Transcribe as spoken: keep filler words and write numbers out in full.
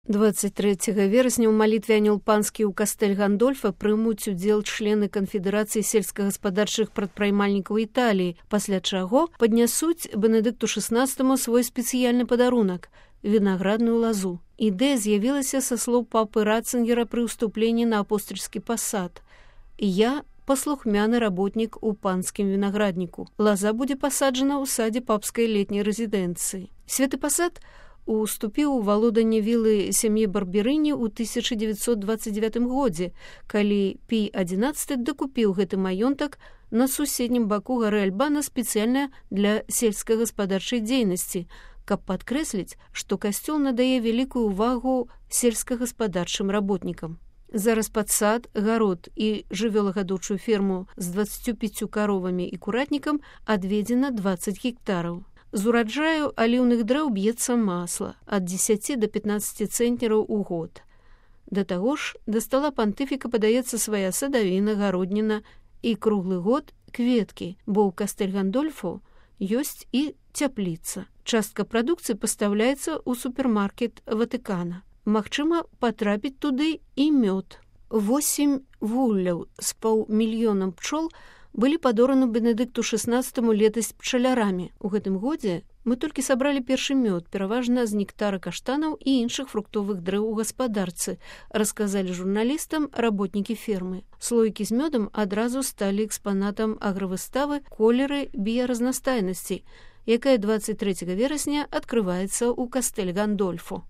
двадцать трэцяга верасня ў малітве анёл панскі ў кастэль Гандольфа прымуць удзел члены канфедэрацыі сельскагаспадарчых прадпрымальнікаў Італіі, пасля чаго паднясуць Бенедыкту шаснаццатаму свой спецыяльны падарунак – вінаградную лазу. Ідэя з'явілася са слоў папы Ратцынгера пры ўступленні на апостальскі пасад. «Я паслухмяны работнік у панскім вінаградніку. Лаза будзе пасаджана ў садзе папскай летняй рэзідэнцыі». Святы пасад уступіў у валоданне вілы сям'і Барберыні ў тысяча дзевяцьсот дваццаць дзевятым годзе, калі Пій адзінаццаты дакупіў гэты маёнтак на суседнім баку гары Альбана спецыяльна для сельскагаспадарчай дзейнасці, каб падкрэсліць, што касцёл надае вялікую ўвагу сельскагаспадарчым работнікам. Зараз пад сад, гарод і жывёлагадоўчую ферму з дваццаццю пяццю каровамі і куратнікам адведзена дваццаць гектараў. З ураджаю аліўных дрэў б'ецца масла ад дзесяці да пятнаццаці цэнтнераў у год. Да таго ж, да стала пантыфіка падаецца свая садавіна, гародніна і круглы год кветкі, бо ў кастэль Гандольфу ёсць і цяпліца. Частка прадукцыі пастаўляецца ў супермаркет Ватыкана. Магчыма, патрапіць туды і мёд. Восем вулляў з паўмільёнам пчол былі падораны Бенедыкту шаснаццатаму летась пчалярамі. У гэтым годзе мы толькі сабралі першы мёд, пераважна з нектара каштанаў і іншых фруктовых дрэў у гаспадарцы, расказалі журналістам работнікі фермы. Слоікі з мёдам адразу сталі экспанатам агравыставы «Колеры біяразнастайнасці», якая дваццаць трэцяга верасня адкрываецца ў кастэль Гандольфу.